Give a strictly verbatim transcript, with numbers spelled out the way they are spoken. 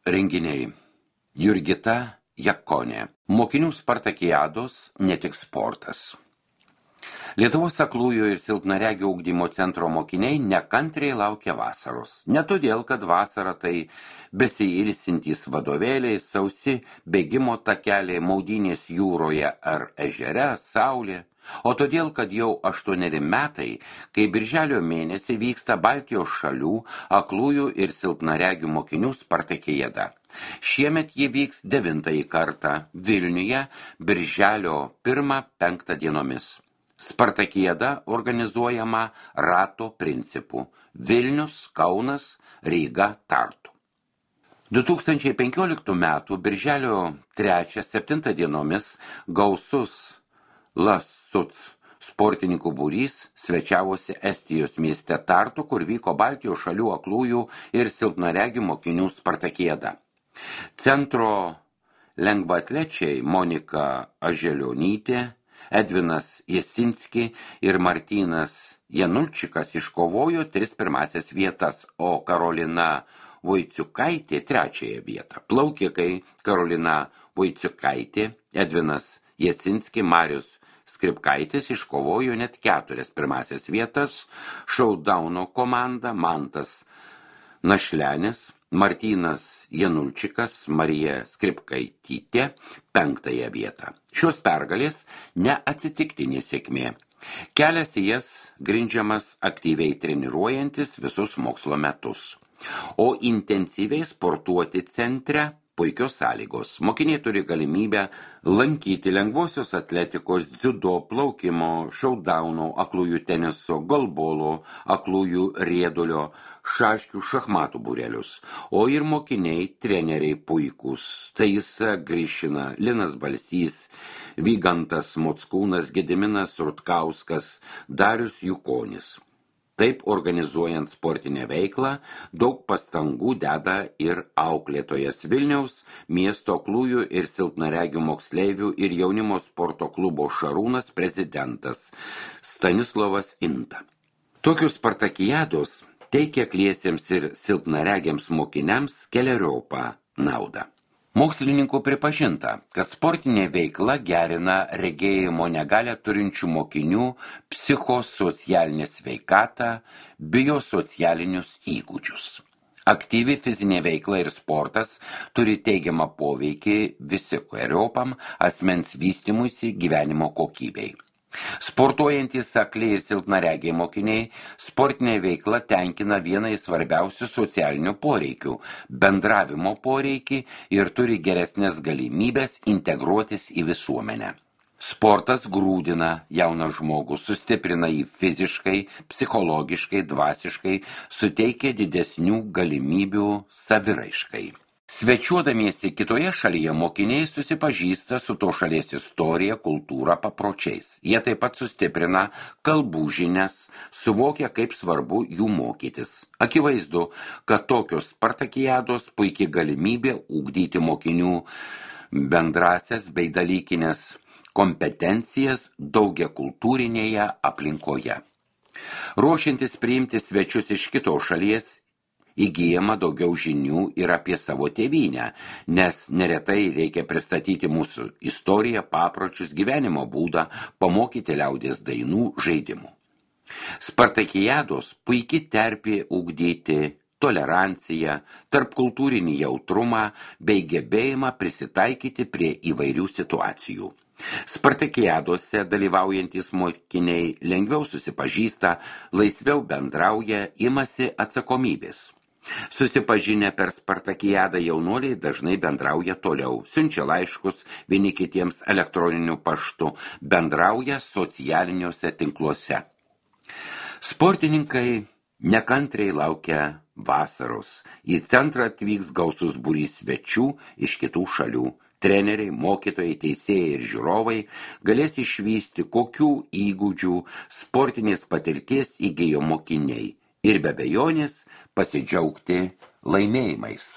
Renginiai. Jurgita Jakonė. Mokinių spartakiados ne tik sportas. Lietuvos aklųjų ir silpnaregių ugdymo centro mokiniai nekantriai laukia vasaros. Ne todėl, kad vasara tai besiilsintys vadovėliai, sausi bėgimo takeliai, maudynės jūroje ar ežere, saulė, o todėl, kad jau aštuoneri metai, kai birželio mėnesį vyksta Baltijos šalių aklųjų ir silpnaregių mokinių spartakiada. Šiemet ji vyks devintąjį kartą Vilniuje birželio pirmą penktą dienomis. Spartakiada organizuojama rato principu Vilnius, Kaunas, Ryga, Tartu. du tūkstančiai penkioliktų metų birželio trečią septintą dienomis gausus Lasuts sportininkų būrys svečiavosi Estijos mieste Tartu, kur vyko Baltijos šalių aklųjų ir silpnaregių mokinių spartakiada. Centro lengvaatlečiai Monika Aželionytė, Edvinas Jasinski ir Martynas Janulčikas iškovojo tris pirmasias vietas, o Karolina Voiciukaitė trečiąją vietą. Plaukikai Karolina Voiciukaitė, Edvinas Jasinski, Marius Skripkaitis iškovojo net keturias pirmasias vietas, Šaudauno komanda Mantas Našlenis, Martynas Janulčikas, Marija Skripkaitytė penktąją vietą. Šios pergalės neatsitiktinė sėkmė. Kelias į jas grindžiamas aktyviai treniruojantis visus mokslo metus. O intensyviai sportuoti centre puikios sąlygos. Mokiniai turi galimybę lankyti lengvosios atletikos, dziudo, plaukimo, šaudauno, aklųjų teniso, golbolo, aklųjų riedulio, šaškių, šachmatų būrelius. O ir mokiniai, treneriai puikūs. Taisa Grišina, Linas Balsys, Vygantas Mockūnas, Gediminas Rutkauskas, Darius Jukonis. Taip, organizuojant sportinę veiklą, daug pastangų deda ir auklėtojas Vilniaus miesto aklųjų ir silpnaregių moksleivių ir jaunimo sporto klubo Šarūnas prezidentas Stanislovas Inta. Tokios spartakiados teikia akliesiems ir silpnaregiams mokiniams keleriopą naudą. Mokslininkų pripažinta, kad sportinė veikla gerina regėjimo negalią turinčių mokinių psichosocialinę sveikatą, biosocialinius įgūdžius. Aktyvi fizinė veikla ir sportas turi teigiamą poveikį visikeriopam asmens vystymuisi gyvenimo kokybei. Sportuojantys akliai ir silpnaregiai mokiniai sportinė veikla tenkina vieną iš svarbiausių socialinių poreikių – bendravimo poreikį ir turi geresnės galimybės integruotis į visuomenę. Sportas grūdina jauną žmogų, sustiprina jį fiziškai, psichologiškai, dvasiškai, suteikia didesnių galimybių saviraiškai. Svečiuodamiesi kitoje šalyje mokiniai susipažįsta su to šalies istorija, kultūra, papročiais. Jie taip pat sustiprina kalbų žinias, suvokia, kaip svarbu jų mokytis. Akivaizdu, kad tokios spartakiados puikiai galimybė ugdyti mokinių bendrasias bei dalykinės kompetencijas daugiakultūrinėje aplinkoje. Ruošiantis priimti svečius iš kitos šalies, įgyjama daugiau žinių ir apie savo tėvynę, nes neretai reikia pristatyti mūsų istoriją, papročius, gyvenimo būdą, pamokyti liaudies dainų, žaidimų. Spartakiados puikiai terpė ugdyti toleranciją, tarpkultūrinį jautrumą bei gebėjimą prisitaikyti prie įvairių situacijų. Spartakiadose dalyvaujantys mokiniai lengviau susipažįsta, laisviau bendrauja, imasi atsakomybės. Susipažinę per spartakiadą jaunuoliai dažnai bendrauja toliau, siunčia laiškus vieni kitiems elektroniniu paštu, bendrauja socialiniuose tinkluose. Sportininkai nekantriai laukia vasaros. Į centrą atvyks gausus būrys svečių iš kitų šalių. Treneriai, mokytojai, teisėjai ir žiūrovai galės išvysti, kokių įgūdžių sportinės patirties įgijo mokiniai ir be abejonės pasidžiaugti laimėjimais.